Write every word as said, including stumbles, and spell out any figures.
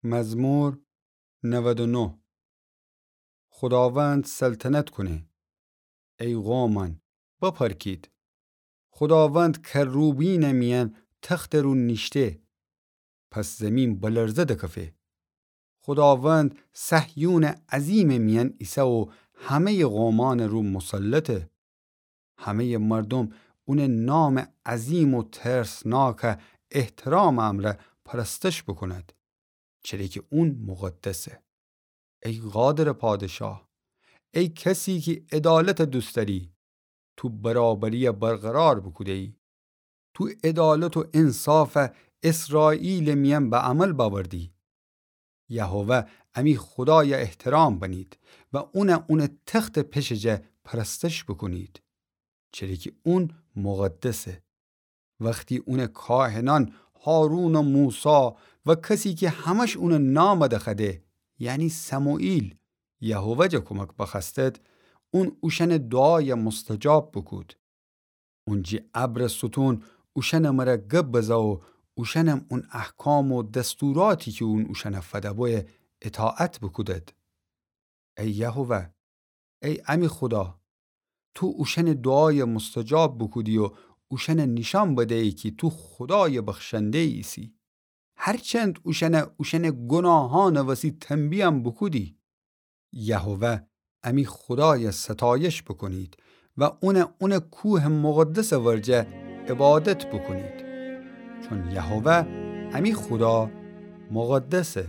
مزمور نود و نه. خوداوند سلطنت کونه. ای قومأن، بپرکید! خوداوند کروبیمٚ میأن تختٚ رو نیشته، پس زیمین بلرزه دکفه. خوداوند صهیونٚ عظیمٚ میأن ایسه و همه‌یٚ قومأنٚ رو مسلطه. همه‌یٚ مردوم اونٚ نامٚ عظیم و ترسناکٚ احترامٚ امرأ پرستش بوکوند، چره کی اون مقدسه. ای قادرٚ پادشاه، ای کسی کی عدالت دوست دأری، تو برابری برقرار بوکوده‌یی. تو عدالت و انصاف اسرائیلٚ میأن به عمل بأوردی. یهوه امی خودای احترام بنید و اون اونٚ تختٚ پشٚ جا پرستش بوکونید، چره کی اون مقدسه. وختی اونٚ کاهنأن هارون و موسی و کسی کی همه‌ش اونٚ نام دخوأده، یعنی سموئیل، یهوه جا کمک بخوأستد، اون اوشأنٚ دوعای مستجاب بوکود. اون جی ابرٚ ستون اوشأنٚ مره گب بزه و اوشأنم اون احکام و دستوراتی کی اون اوشأن فده‌بویه اطاعت بوکودد. ای یهوه، ای امی خودا، تو اوشأنٚ دوعای مستجاب بوکودی و اوشأن نیشأن بدیی کی تو خودای بخشنده‌یی ایسی. هرچند اوشأن اوشأنٚ گوناهأنٚ وسی تنبیهم بوکودی. یهوه امی خودای ستایش بوکونید و اون اونٚ کوهٚ مقدسٚ ورجه عبادت بوکونید، چون یهوه امی خودا مقدسه.